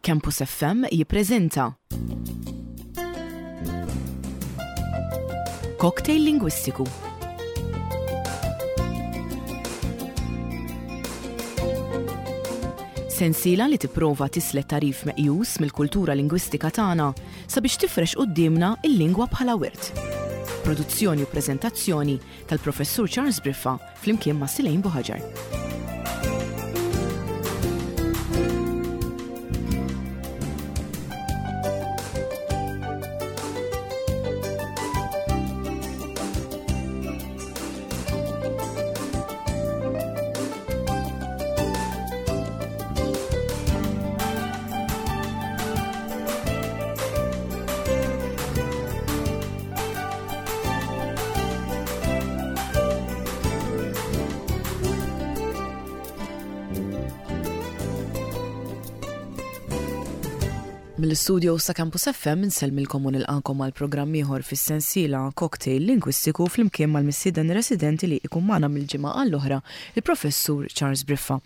Campus FM jippreżenta Cocktail Lingwistiku. Sensiela li tipprova tislet tagħrif meqjus mill-kultura lingwistika tagħna sabiex tifrex quddiemna l-lingwa bħala wirt. Produzzjoni u preżentazzjoni tal-Professur Charles Briffa flimkien ma' Silejn Buħaġar. Mill-istudio sa Campus FM insellmilkom u nilqakom għal programm ieħor fis-sensiela Cocktail Lingwistiku flimkien mal-mistieden residenti li ikun magħna mill-ġimgħa għall-oħra, il-Professur Charles Briffa.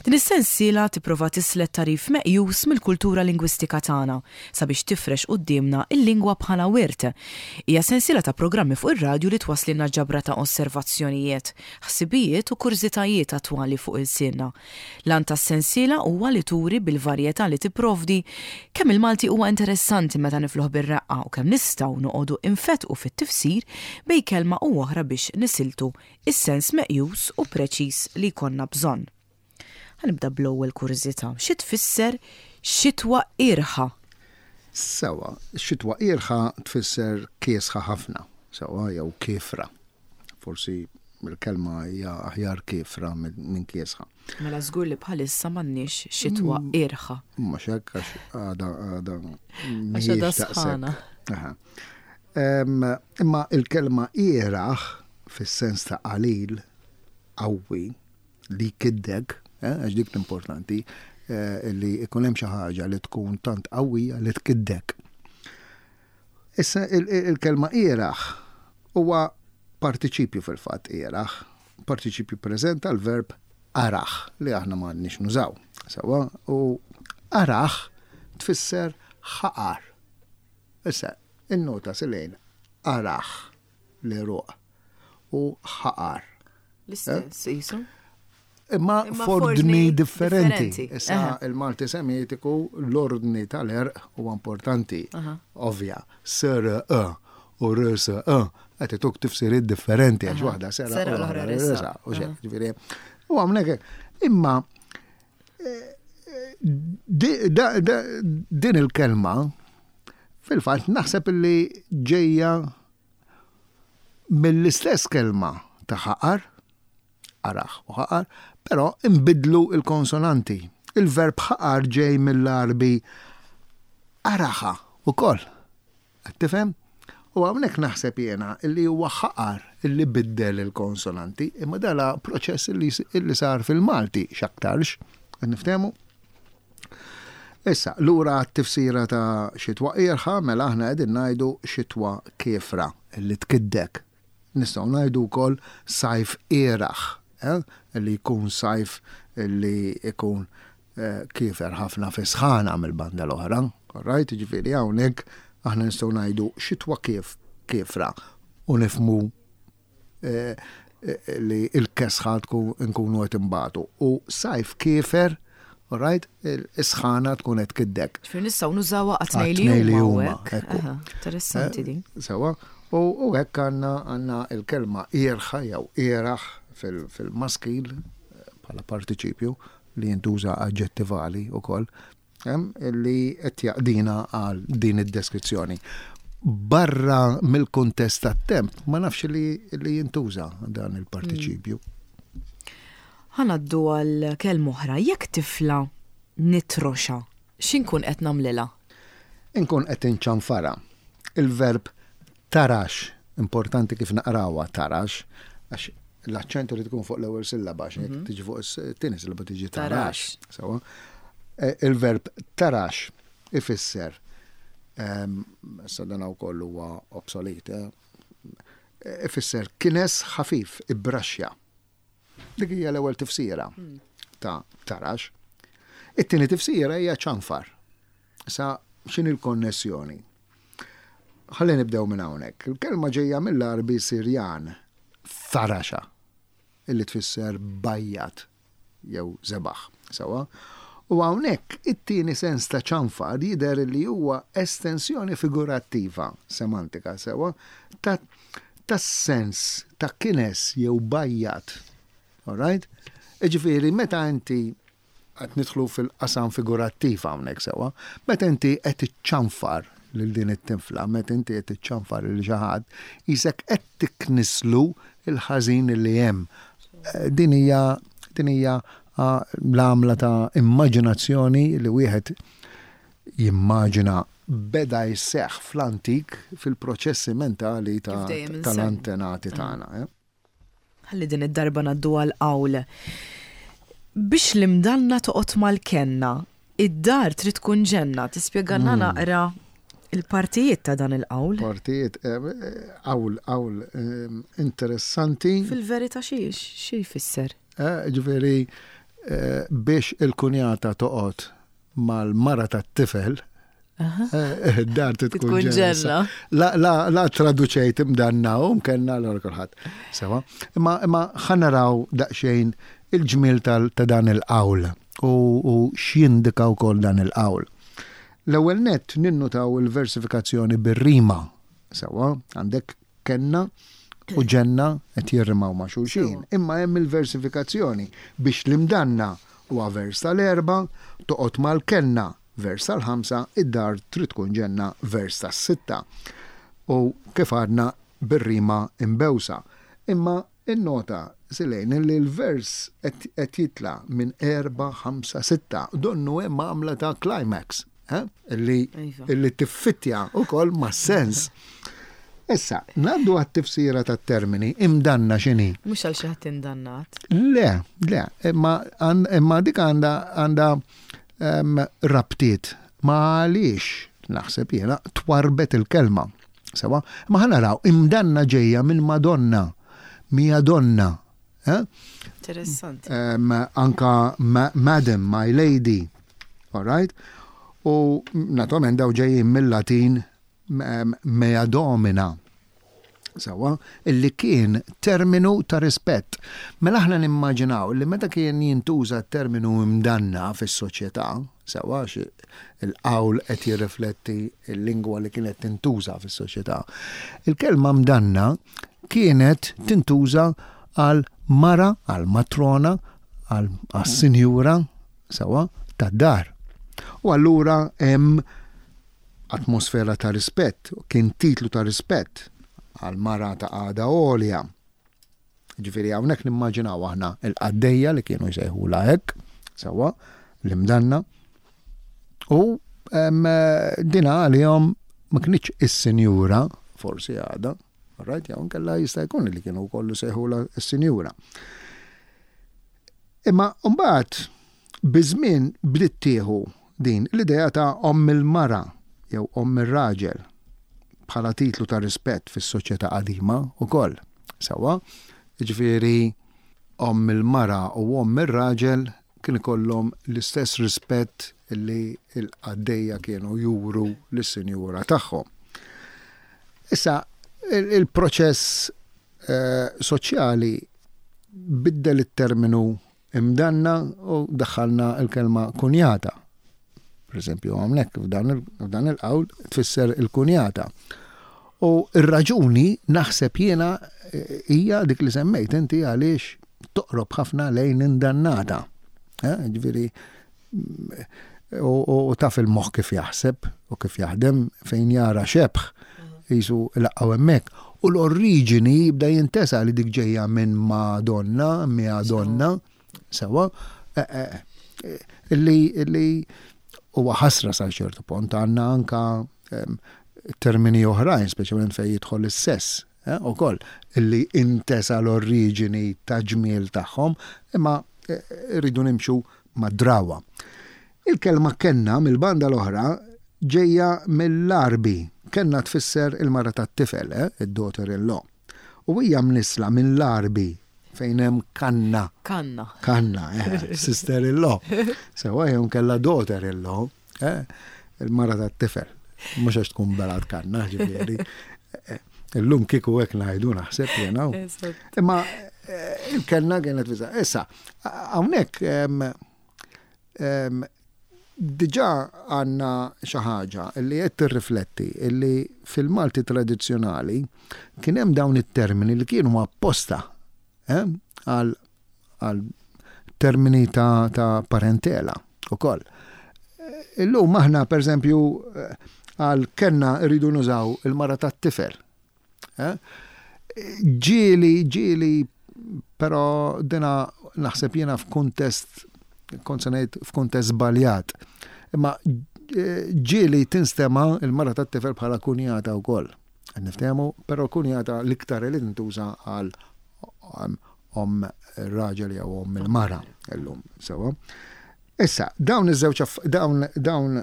Din is-sensiela tipprova tislet tagħrif meqjus mill-kultura lingwistika tagħna sabiex tifrex quddiemna l-lingwa bħala wirt. Hija sensiela ta' programmi fuq ir-radju li twasslilna ġabra ta' osservazzjonijiet, ħsibijiet u kurżitajiet attwali fuq ilsienna. L-għan tas-sensiela huwa li turi bil-varjetà li tipprovdi kemm il-Malti huwa interessanti meta nifluh bir-reqqa u kemm nistgħu noqogħdu infettqu fit-tifsir bejn kelma u oħra biex nisiltu s-sens meqjus u preċiż li jkollna bżonn. Ħa nibda bl-ewwel kurżità. Xi tfisser xitwa qierħa? Sewwa, xitwa qierħa tfisser kiesħa ħafna, sewwa jew kiefra. Forsi il-kelma hija aħjar kiefra minn kiesħa. Mela żgur li bħalissa m'għandniex xitwa mm. qierħa. Mhux hekk għax għada għada. Għax għada sħana. Imma il-kelma qieraħ fis-sens ta' qalil qawwi li jkiddek, eh, għax dik l-importanti, eh, li ikun hemm xi ħaġa li tkun tant qawwija li tkiddek. Issa il-kelma ieraħ huwa partiċipju fil-fatt ieraħ, partiċipju preżent tal-verb araħ li aħna ma għandniex nużaw. Sewa, u araħ tfisser ħaqar. Issa, in-nota silejn araħ l-għeruq u ħaqar. L-istess eh? jisu? Imma f'ordni differenti. Issa il-Malti semitiku l-ordni tal-erq huwa importanti. Ovvja, sr e u r s e qed ituk tifsiriet differenti għax waħda sera u l-oħra resa. U xejn, ġifieri. U hawnhekk imma eh, din il-kelma fil-fatt naħseb li ġejja mill-istess kelma ta' ħaqar, qaraħ u ħaqar, però inbidlu l-konsonanti. Il-verb ħaqar ġej mill-Għarbi qaraħa wkoll. Qed tifhem? U hawnhekk naħseb jiena li huwa ħaqar illi biddel il-konsonanti, imma dala proċess illi sar fil-Malti x'aktarx. Qed niftehmu? Issa, lura għat-tifsira ta' xitwa qierħa, mela aħna qegħdin ngħidu xitwa kiefra, li tkiddek. Nistgħu ngħidu wkoll sajf qieraħ, eh, li jkun sajf li jkun eh, kiefer ħafna fi sħana mill-banda l-oħra. Right? Ġifieri hawnhekk aħna nistgħu ngħidu xitwa kif kiefra u nifmu Eh, eh, li il-kesħa tkun nkunu qed imbatu. U sajf kiefer, right, is-sħana tkun qed kiddek. Ġifieri nistgħu nużawha għat-tnejn li huma. Interessanti eh, din. Sewa, u hekk għandna għandna il-kelma irħa jew iraħ fil-maskil bħala partiċipju li jintuża aġġettivali wkoll li qed jaqdina għal din id-deskrizzjoni. Barra mill-kuntest tat-temp, ma nafx li, li jintuża dan il-partiċipju. Hmm. Ħanaddu għal kelma oħra, jekk tifla nitroxa, x'inkun qed nagħmlilha? Inkun qed inċanfara. Il-verb tarax, importanti kif naqrawha tarax, għax l-aċċent irid ikun fuq l-ewwel sillaba, għax jekk mhm. tiġi fuq it-tieni sillaba tiġi tarax. Sewa. E, il-verb tarax ifisser ehm, issa dan wkoll huwa obsolet, eh, ifisser kines ħafif, ibbraxxja. Dik hija l-ewwel tifsira hmm. ta' tarax. It-tieni tifsira hija ċanfar. Sa x'inhi l-konnessjoni? Ħalli nibdew minn hawnhekk. Il-kelma ġejja mill-Għarbi Sirjan, tharaxa, illi tfisser bajjad jew żebaħ. Sewwa? U hawnhekk it-tieni sens ta' ċanfar jidher li huwa estensjoni figurattiva, semantika, sewwa, ta' tas-sens ta' kines jew bajjad. All right? Jiġifieri meta inti Qed nidħlu fil-qasam figurattiv hawnhekk sewwa. Meta inti qed iċċanfar lil din it-tifla, meta inti qed iċċanfar lil xi ħadd, qisek qed tiknislu l-ħażin li hemm. Din hija din hija l-għamla ta' immaġinazzjoni li wieħed jimmaġina beda jseħħ fl-antik fil-proċessi mentali tal-antenati tagħna. Ħalli din id-darba ngħaddu għal qawl. Biex l-imdanna toqgħod mal-kenna, id-dar trid tkun ġenna. Tispjegalna hmm. naqra il-partijiet ta' dan il-qawl? Partijiet, eh, qawl, qawl eh, interessanti. Fil-verità xi xi jfisser? Eh, ġifieri biex il-kunjata toqgħod mal-mara tat-tifel, eh, dar tkun ġenna. La, la, la traduċejt imdanna u mkenna l kulħadd. Sewa. Imma imma ħanaraw daqsxejn il-ġmiel ta' dan il-qawl u, u x'jindika wkoll dan il-qawl. L-ewwel nett ninnutaw il-versifikazzjoni bir-rima. Sewa, għandek Kenna u ġenna qed jirrimaw ma' xulxin, imma hemm il-versifikazzjoni biex l-imdanna huwa vers tal-erba', toqgħod mal-kenna, vers tal-ħamsa, id-dar trid tkun ġenna, vers tas-sitta. U kif għadna bir-rima imbewsa. Imma innota, Silejn, li l-vers qed jitla' minn erba', ħamsa, sitta. Donnu hemm għamla ta' climax. Eh? Illi, iva. illi tiffittja wkoll mas-sens. Issa, ngħaddu għat-tifsira tat-termini, imdanna x'inhi? Mhux għal xi ħadd indannat. Le, le, imma, imma dik għandha għandha um, rabtiet ma għaliex naħseb jiena twarbet il-kelma. Sewa, ma ħanaraw imdanna ġejja minn Madonna, mija donna. Eh? Interessanti. Um, anka ma madam, my lady. All right? U naturalment daw ġejjin mill-Latin mea domina. Sawa, illi kien terminu ta' rispett. Mela aħna nimmaġinaw li meta kien jintuża terminu imdanna fis-soċjetà, sewa il-qawl qed jirrifletti l-lingwa li kienet tintuża fis-soċjetà. Il-kelma mdanna kienet tintuża għal mara, għal matrona, għal sinjura, sewwa, tad-dar. U allura hemm atmosfera ta' rispett, kien titlu ta' rispett għal mara ta' qagħda għolja. Ġifieri hawnhekk nimmaġinaw aħna il-qaddejja li kienu jsejħulha hekk, sewwa, l-imdanna. U dina għalihom ma kinitx is-sinjura, forsi għada, right, jew inkella jista' jkun li kienu wkoll isejħulha s-sinjura. Imma mbagħad biż-żmien bdiet tieħu din l-idea ta' omm il-mara jew omm ir-raġel bħala titlu ta' rispett fis-soċjetà qadima wkoll. Sewwa, jiġifieri omm il-mara u omm ir-raġel kien ikollhom l-istess rispett li l-qaddejja kienu juru lis-sinjura tagħhom. Issa, il-proċess eh, soċjali biddel it-terminu imdanna u daħħalna l-kelma kunjata. Per eżempju, hawnhekk f'dan il-qawl tfisser il-kunjata. U r-raġuni naħseb jiena eh, hija dik li semmejt inti għaliex toqrob ħafna lejn indannata. Eh, ġifieri mm, u taf il-moħħ kif jaħseb u kif jaħdem fejn jara xebħ jisu laqgħu hemmhekk. U l-oriġini jibda jintesa li dik ġejja minn Madonna, mia donna, sewa, eh, eh, eh, illi illi huwa ħasra sa ċertu punt għandna anka ehm, termini oħrajn, speċjalment fejn jidħol is-sess, ukoll illi intesa l-oriġini ta' ġmiel tagħhom, imma rridu nimxu mad-drawwa. Il-kelma kenna mill-banda l-oħra ġejja mill-Għarbi. Kenna tfisser il-mara tat-tifel, eh, id-daughter in law. U hija mnissla minn l-Għarbi fejn hemm kanna. Kanna. Kanna, eh, sister in law. Sewa jew kella daughter in law. Eh? Il-mara tat-tifel. Mhux għax tkun belat kanna, ġifieri. Illum kieku hekk ngħidu naħseb jiena. Imma eh, il-kellna kienet viża. Issa, hawnhekk diġà għandna xi ħaġa li qed tirrifletti li fil-Malti tradizzjonali kien hemm dawn it-termini li kienu apposta eh, għal għal termini ta', ta parentela ukoll. Illum aħna pereżempju għal kenna rridu nużaw il-mara tat-tifel. Eh? Ġieli, ġieli, però dina naħseb jiena f'kuntest kont se ngħid f'kuntest żbaljat. Imma eh, ġieli tinstema il-mara tat-tifel bħala kunjata wkoll. Niftehmu, però kunjata l-iktar li tintuża għal omm ir-raġel jew omm il-mara illum sewwa. Issa, dawn iż-żewġ dawn dawn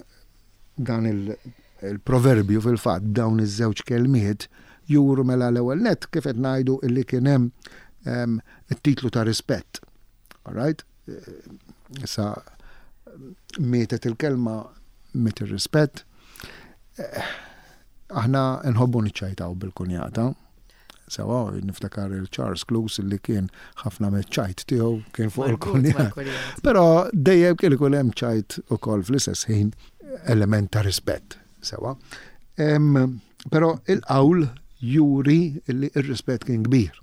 dan il-proverbju fil-fatt dawn iż-żewġ kelmiet juru mela l-ewwel nett kif qed ngħidu illi kien hemm it-titlu ta' rispett. All right? Issa mietet il-kelma miet ir-rispett. Aħna nħobbu niċċajtaw bil-kunjata. Sewa, niftakar il-Charles Cluse li kien ħafna me-ċajt tiegħu kien fuq il-kunjata. Però dejjem kien ikun hemm ċajt ukoll fl-istess ħin element ta' rispett. Sewa. Però il-qawl juri li r-rispett kien kbir.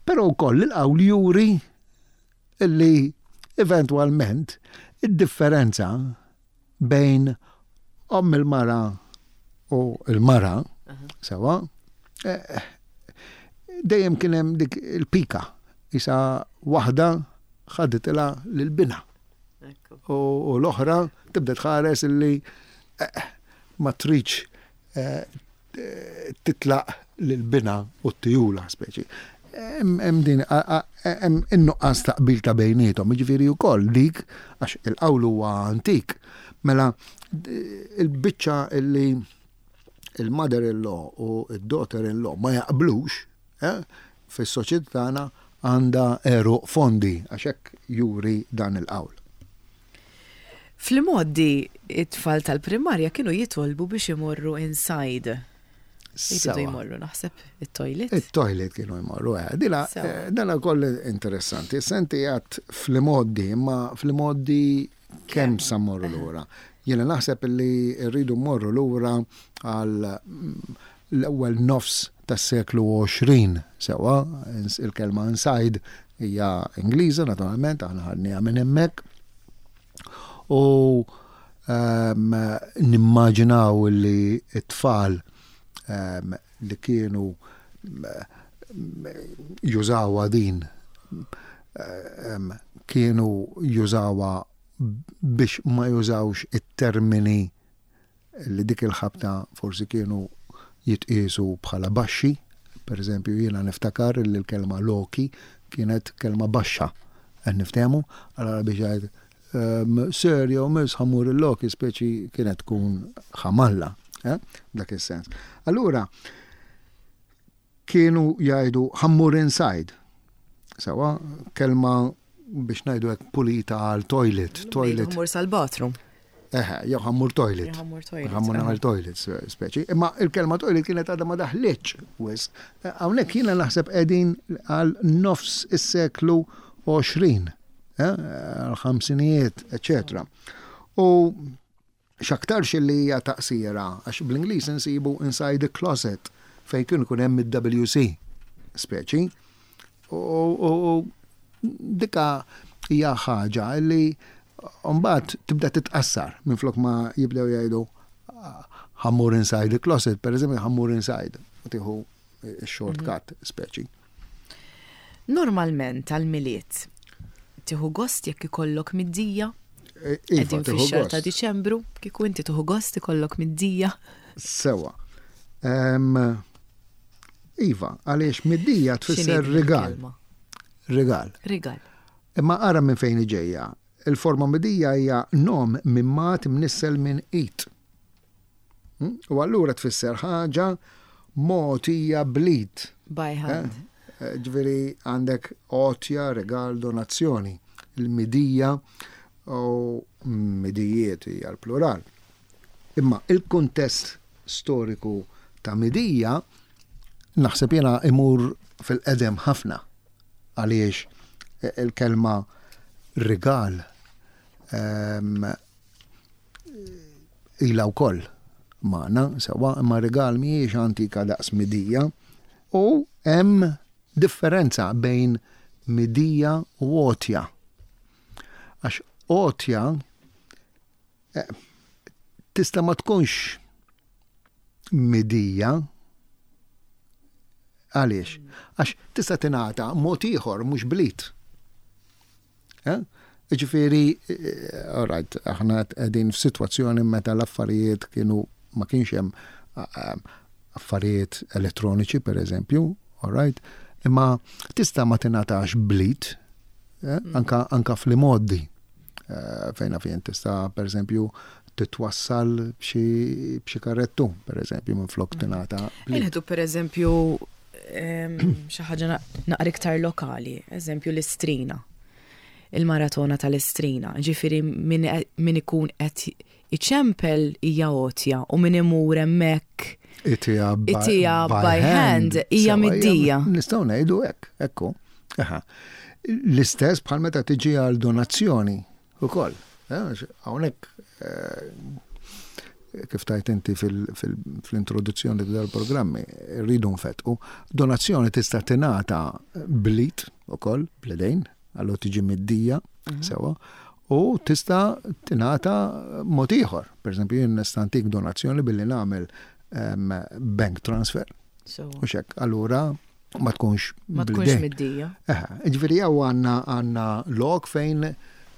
Però wkoll il-qawl juri li eventwalment id-differenza bejn omm il-mara u l-mara, sewa, eh, dejjem kien hemm dik il-pika, isa waħda ħaditilha lil binha. U l-oħra tibda tħares illi eh, ma tridx eh, titlaq lil binha u t-tijula speċi. Hemm din hemm in-nuqqas ta' qbil ta' bejniethom, jiġifieri wkoll dik għax il-qawl huwa antik. Mela il-biċċa illi il-mother-in-law u d-daughter-in-law ma jaqblux eh, fis-soċjetà tagħna għandha għeruq fondi għax hekk juri dan il-qawl. Fl-imgħoddi it-tfal tal-primarja kienu jitolbu biex imorru inside. Jridu jmorru naħseb it-toilet. It-toilet kienu jmorru, eh. Dina, eh, dana koll interessanti. Senti għat fl-imgħoddi, imma fl-imgħoddi kemm sa mmorru eh. lura. Jiena naħseb li rridu mmorru lura għal mm, l-ewwel nofs tas-seklu 20 sewa, il-kelma inside hija Ingliża naturalment, aħna ħadniha minn hemmhekk. U um, nimmaġinaw li t-tfal um, li kienu jużawha din um, kienu jużawha biex ma jużawx it-termini li dik il-ħabta forsi kienu jitqiesu bħala baxxi. Per eżempju, jiena niftakar li l-kelma loki kienet kelma baxxa. Qed niftehmu? Allora biex jgħid ehm, sir jew miss ħammur il-loki speċi kienet tkun ħamalla, eh? dak is-sens. Allura, Kienu jgħidu ħa mmur inside. Sewa, kelma biex ngħidu hekk pulita għal toilet. Toilet. Ħammur sal-bathroom. Eħe, jew ħammur toilet. Ħammur toilet. Ħammur nagħmel toilet, speċi. Imma il-kelma toilet kienet għadha ma daħlitx wis. Hawnhekk jiena naħseb qegħdin għal nofs is-seklu 20, eh, għal ħamsinijiet, eċetera. U X'aktarx illi hija taqsira, għax bl-Ingliż insibu inside the closet fejn kien ikun hemm id-WC speċi. U dika hija ħaġa li mbagħad tibda titqassar minflok ma jibdew jgħidu ħammur inside the closet, per eżempju ħammur inside, u tieħu shortcut mhm. speċi. Normalment għal-Milied tieħu gost jekk ikollok middija? E, iva, Qegħdin fix-xahar ta' Diċembru, kieku inti tieħu gost ikollok middija. Sewa. Iva, għaliex middija tfisser rigal. Rigal. Rigal. Imma ara minn fejn ġejja. Il-forma midija hija nom minn mat mnissel minn it. Hmm? U allura tfisser ħaġa mogħtija bl-id. By hand. Eh? eh, ġifieri għandek għotja, regal, donazzjoni. Il-midija u midijiet hija l-plural. Imma il-kuntest storiku ta' midija naħseb jiena imur fil-qedem ħafna għaliex il-kelma rigal ehm, ilha wkoll magħna sewwa, imma rigal mhijiex antika daqs midija u hemm differenza bejn midija u għotja. Għax għotja eh, tista' ma tkunx midija għaliex? Għax tista' tingħata mod ieħor mhux blit. Eh? Ġifieri, eh, all right, aħna qegħdin f'sitwazzjoni meta l-affarijiet kienu ma kienx hemm eh, affarijiet elettroniċi per eżempju, all right, imma tista' ma tingħatax blit, eh, mm. anka, anka fl-imoddi. Fejna fejn tista' per eżempju titwassal b'xi karrettu, per eżempju, minn flok mm. tingħata. Inħdu per eżempju xi ħaġa naqra iktar lokali, eżempju l-istrina. Il-maratona tal-istrina, ġifieri min ikun qed iċempel hija għotja u min imur hemmhekk itija by hand hija middija. Nistgħu ngħidu hekk, ekku. L-istess bħal meta tiġi għal donazzjoni ukoll. Eh, hawnhekk eh, kif tajt inti fil-introduzzjoni dal-programmi, rridu nfetqu, donazzjoni tista' tingħata blit ukoll, bledejn, għallu tiġi middija, mhm. sewa, u tista' tingħata mod ieħor. Per eżempju, jien nista' ntik donazzjoni billi nagħmel ehm, bank transfer. U xek, allura ma tkunx ma tkunx middija. Ġifieri jew għandna għandna lok fejn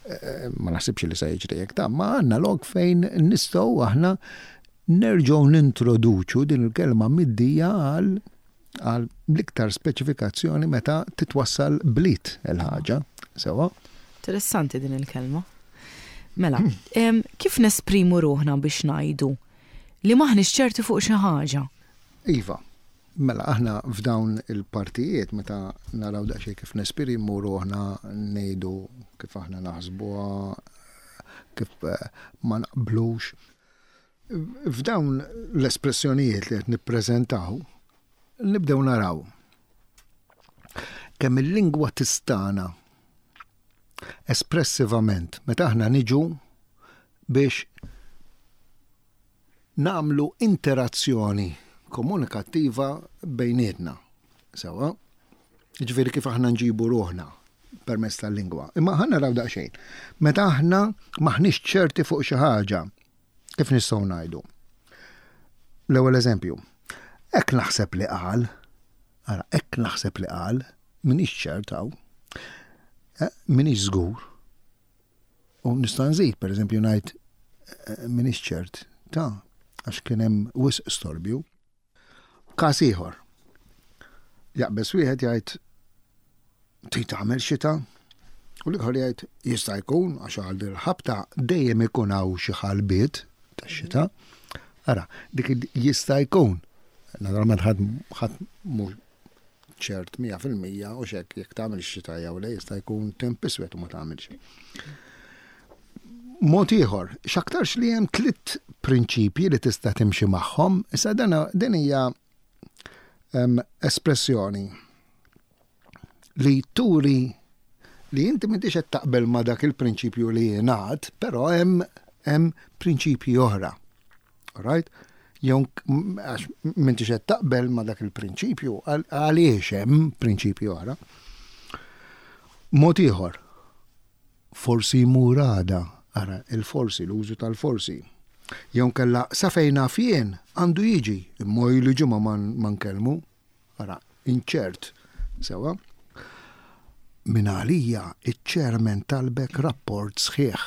eh, ma naħsibx li se jiġri hekk ta' ma għandna lok fejn nistgħu aħna nerġgħu nintroduċu din il-kelma middija għal għal l-iktar speċifikazzjoni meta titwassal blit il-ħaġa. Sewa. Interessanti din il-kelma. Mela, kif nesprimu ruħna biex ngħidu li maħniex ċerti fuq xi ħaġa? Iva, Mela aħna f'dawn il-partijiet meta naraw daqsxejn kif nesprimu ruħna ngħidu kif aħna naħsbuha, kif eh, ma naqblux. F'dawn l-espressjonijiet li qed nippreżentaw nibdew naraw kemm il-lingwa tistana espressivament meta aħna niġu biex nagħmlu interazzjoni komunikattiva bejnietna. Sewwa? Jiġifieri kif aħna nġibu ruħna permezz tal-lingwa. Imma ħa naraw daqsxejn. Meta aħna maħniex ċerti fuq xi ħaġa, kif nistgħu ngħidu? L-ewwel eżempju. Hekk naħseb li qal, ara, hekk naħseb li qal, minix ċert hawn, eh, minix żgur. U nista' nżid, pereżempju ngħid eh, m'iniex ċert ta' għax kien hemm wisq storbju. Każ ieħor. Jaqbeż wieħed jgħid trid tagħmel xita? U l-ieħor jgħid jista' jkun għax għal dil-ħabta dejjem ikun hawn xi ħalbiet tax-xita. Ara, dik jista' jkun. Naturalment ħadd ħadd mhux ċert 100% u xek jekk tagħmel xita jew le jista' jkun temp iswed u ma tagħmilx. Mod ieħor, x'aktarx li hemm tliet prinċipji li tista' timxi magħhom, issa din hija espressjoni li turi li inti m'intix qed taqbel ma' dak il-prinċipju li jingħad, però hemm hemm prinċipji oħra. Right? Jew għax m'intix qed taqbel ma' dak il-prinċipju, għaliex hemm prinċipju oħra. Mod ieħor, forsi jmur għada, ara il-forsi, l-użu tal-forsi. Jew kella sa fejn naf jien għandu jiġi, imma ilu ġimgħa ma nkellmu, ara, inċert, sewa. Min għalija iċ-chairman talbek rapport sħiħ.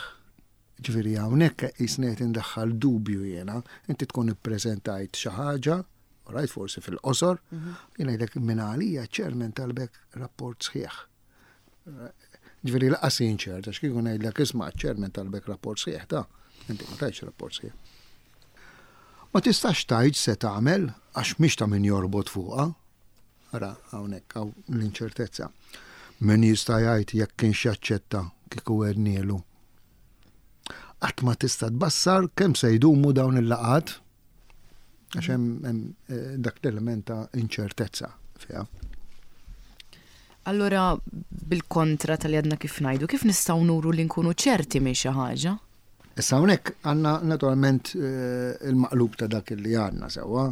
Ġifieri hawnhekk qisni qed indaħħal dubju jiena, inti tkun ippreżentajt xi ħaġa, right, forsi fil-qosor, mhm. jien ngħidlek minn għalija ċermen talbek rapport sħiħ. Ġifieri laqas jien ċert, għax kieku ngħidlek isma' ċermen talbek rapport sħiħ ta' inti ma tajtx rapport sħiħ. Ma tistax tgħid se tagħmel għax mhix ta' min jorbot fuqha. Ara hawnhekk hawn l-inċertezza. Min jista' jgħid jekk kienx jaċċetta kieku għednielu. Qatt ma tista' tbassar kemm se jdumu dawn il-laqgħat għax hemm eh, dak l-element ta' inċertezza fiha. Allura bil-kontra tal-li għadna kif ngħidu, kif nistgħu nuru li nkunu ċerti minn xi ħaġa? Issa hawnhekk għandna naturalment eh, il-maqlub ta' dak li għandna sewwa.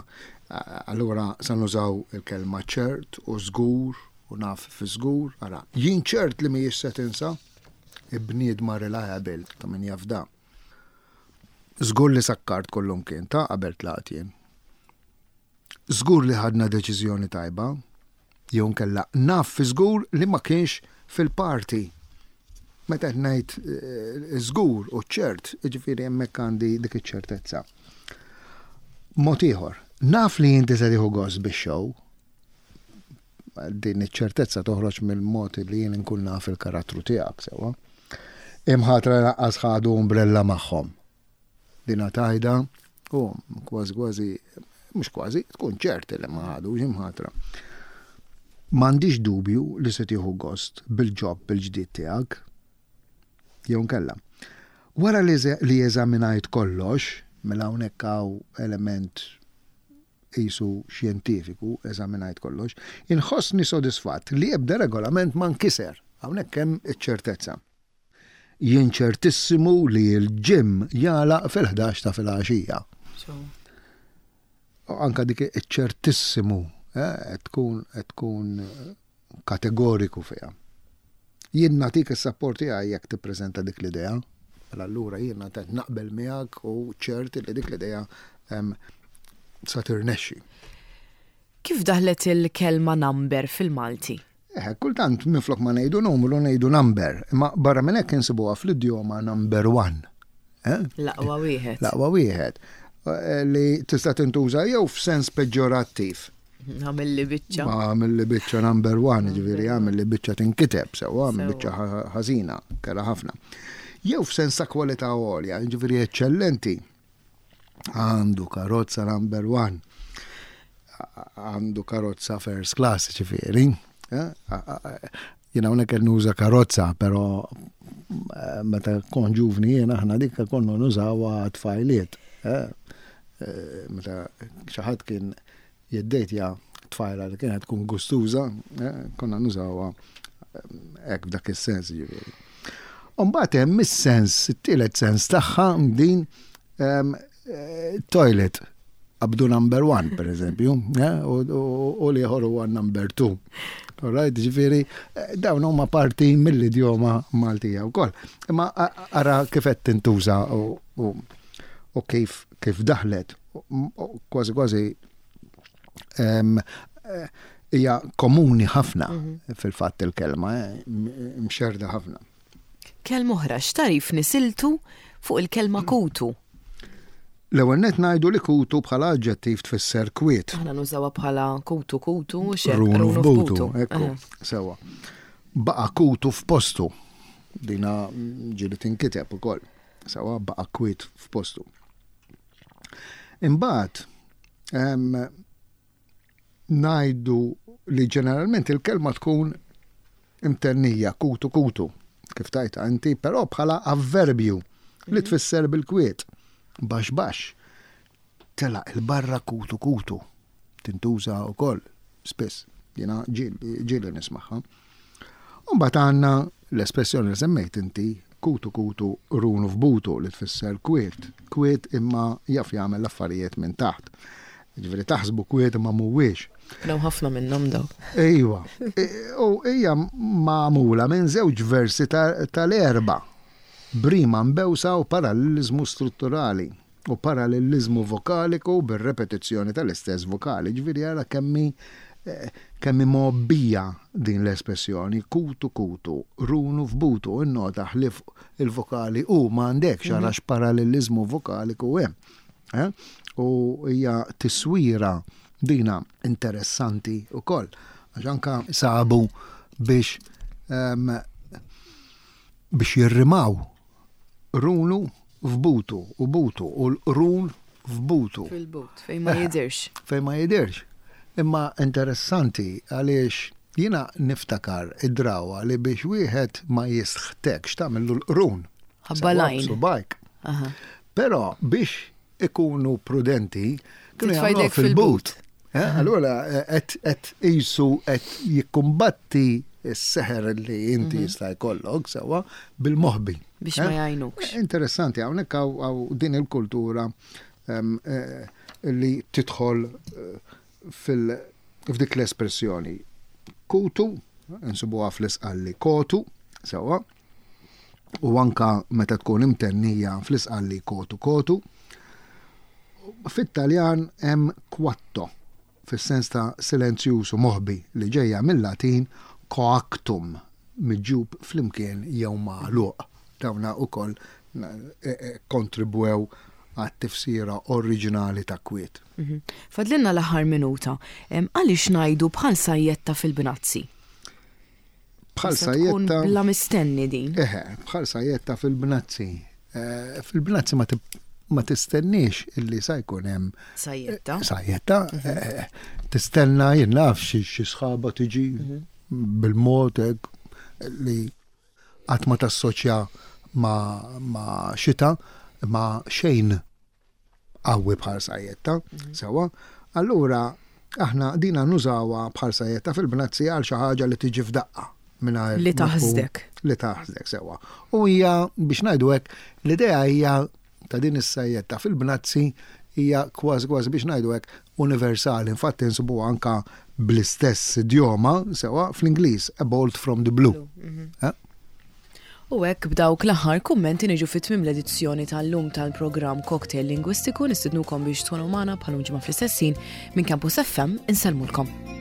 Allura sa nużaw il-kelma ċert u żgur u naf fi żgur. Ara, jien ċert li mhijiex se tinsa, bniedma reliable ta' min jafda. Żgur li sakkart kollum kien ta' qabel tlaqt jien. Żgur li ħadna deċiżjoni tajba, jew inkella naf fi żgur li ma kienx fil-party. Meta qed ngħid eh, żgur u ċert, jiġifieri hemmhekk għandi dik iċ-ċertezza. Mod ieħor, naf li inti se tieħu gost bix-show. Din iċ-ċertezza toħroġ mill-mod li jien inkun naf il-karattru tiegħek sewwa. Imħatra lanqas ħadu umbrella magħhom. Dina tajda u kważi kważi, mhux kważi, tkun ċert li ma ħadux imħatra. M'għandix dubju li se tieħu gost bil-ġob il-ġdid tiegħek. Jew nkella. Wara li eżaminajt kollox, mela hawnhekk hawn element qisu xjentifiku, eżaminajt kollox, inħossni sodisfatt li ebda regolament ma nkiser. Hawnhekk hemm iċ-ċertezza. Jien ċertissimu li l-gym jagħlaq fil-11 ta' filgħaxija. Anka dik iċ-ċertissimu eh, tkun tkun kategoriku fiha. Jien nagħtik is-sapport tiegħi jekk tippreżenta dik l-idea. Mela allura jien qed naqbel miegħek u ċert li dik l-idea sa tirnexxi. Kif daħlet il-kelma number fil-Malti? Eh, kultant minflok ma ngħidu numru ngħidu number, imma barra minn hekk insibuha fl-idjoma number one. Eh? L-aqwa wieħed. L-aqwa wieħed. Eh, li tista' tintuża jew f'sens peġġorattiv. Għamilli biċċa. Għamilli biċċa number one, ġifieri għamilli biċċa tinkiteb sewwa, għamil biċċa ħażina, kera ħafna. Jew f'sens ta' kwalità għolja, ġifieri eċċellenti. Għandu karozza number one. Għandu karozza first class, ġifieri. Eh? Jiena hawnhekk qed nuża karozza, però eh, meta kon ġuvni jien aħna dik konna nużawha tfajliet. Eh? Meta xi ħadd kien jiddejtja tfajla li kienet tkun gustuża, konna nużawha hekk f'dak is-sens ġifieri. Umbagħad hemm is-sens, it-tielet sens tagħha din ehm, eh, toilet qabdu number one, per eżempju, eh, u liħor huwa number two. Alright, ġifieri, eh, dawn huma parti mill-idjoma Maltija wkoll. Imma ara kif qed tintuża u kif kif daħlet, kważi kważi ehm, hija komuni ħafna mhm. fil-fatt il-kelma, eh, mxerda ħafna. Kelma oħra, x'tarif nisiltu fuq il-kelma kutu? L-ewwel net ngħidu li kutu bħala aġġettiv tfisser kwiet. Aħna nużawha bħala kutu kutu, runu f'butu, ekku, sewa. Baqa' kutu f'postu. Dina ġieli tinkiteb ukoll. Sewa baqa' kwiet f'postu. Imbagħad ngħidu li ġeneralment il-kelma tkun imtennija kutu kutu, kif tajta inti, però bħala avverbju li mhm. tfisser bil-kwiet, baxx baxx. Telaq il-barra kutu kutu. Tintuża wkoll spiss, jiena ġieli nismagħha. U mbagħad għandna l-espressjoni li semmejt inti, kutu kutu runu f'butu li tfisser kwiet, kwiet imma jaf jagħmel l-affarijiet minn taħt. Ġifieri taħsbu kwiet imma mhuwiex. Daw ħafna minnhom daw. Ejwa. E, u hija magħmula minn żewġ versi tal-erba' b'rima mbewsa u paralleliżmu strutturali. u paralleliżmu vokaliku bir-repetizzjoni tal-istess vokali. Ġifieri ara kemm hi eh, kemm hi mgħobbija din l-espressjoni, kutu kutu, runu f'butu, innota ħlief il-vokali u ma għandekx mhm. ara x'paralleliżmu vokaliku hemm. Eh? U hija tiswira dina interessanti wkoll għax anka sabu biex ehm, biex jirrimaw Runu f'butu u butu u l-qrun f'butu. Fil-but, fejn ma jidirx. Fejn ma jidirx. Imma interessanti għaliex jiena niftakar id-drawa li biex wieħed ma jisħtekx tagħmillu l-qrun. Ħabba l-għajn. Subajk. Però biex ikunu prudenti, kienu jagħmluha fil-but. Eh, allura eh, qed qisu qed jikkumbatti s-seħer li inti mhm. jista' jkollok sewwa bil-moħbi. Biex ma eh? jgħinukx. Interessanti hawnhekk hawn din il-kultura ehm, li tidħol fil f'dik l-espressjoni. Kutu, insibuha fl-isqalli kotu, sewwa, u anka meta tkun imtennija fl-isqalli kotu kotu. Fit-Taljan hemm quatto, fis-sens ta' silenzjuż u moħbi li ġejja mil-Latin coactum, miġjub flimkien jew magħluq. Dawna ukoll kkontribwew għat-tifsira oriġinali ta' kwiet. Mhm. Fadlilna l-aħħar minuta. Għaliex ngħidu bħal sajjetta fil-bnazzi? Bħal sajjetta. Bla mistenni din. Eħe, bħal sajjetta fil-bnazzi. Eh, fil-bnazzi ma ma tistenniex illi sa jkun hemm sajjetta. Sajjetta. Mhm. Eh, tistenna jien naf xi sħaba tiġi mhm. bil-mod li qatt ma tassoċja ma' xita ma' xejn qawwi bħal sajjetta, mhm. sewwa. Allura aħna dina nużawha bħal sajjetta fil-bnazzi għal xi ħaġa li tiġi f'daqqa mingħajr li taħsdek. Li taħsdek sewwa. U hija biex ngħidu hekk, l-idea hija ta' din is-sajjetta fil-bnazzi hija kważi kważi biex ngħidu hekk universali. Infatti nsibuha anka bl-istess idjoma sewwa fl-Ingliż, a bolt from the blue. Mhm. Eh? U hekk b'dawk l-aħħar kummenti niġu fi tmiem l-edizzjoni tal-lum tal-programm Cocktail Lingwistiku nistidnukom biex tkunu magħna bħal ġimgħa fl-istess ħin minn Campus FM insellmulkom.